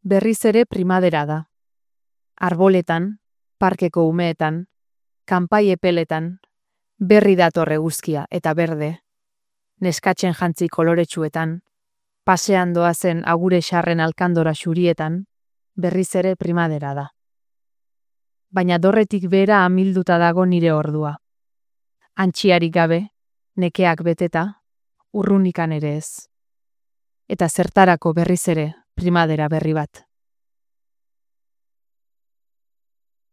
Berriz ere primadera da. Arboletan, parkeko umeetan, kanpai epeletan, berri dator eguzkia eta berde, neskatzen jantzi koloretsuetan, pasean doazen agure xarren alkandora xurietan, berriz ere primadera da. Baina dorretik behera amilduta dago nire ordua. Antxiarik gabe, nekeak beteta, urrunikan ere ez. Eta zertarako berriz ere primadera berri bat.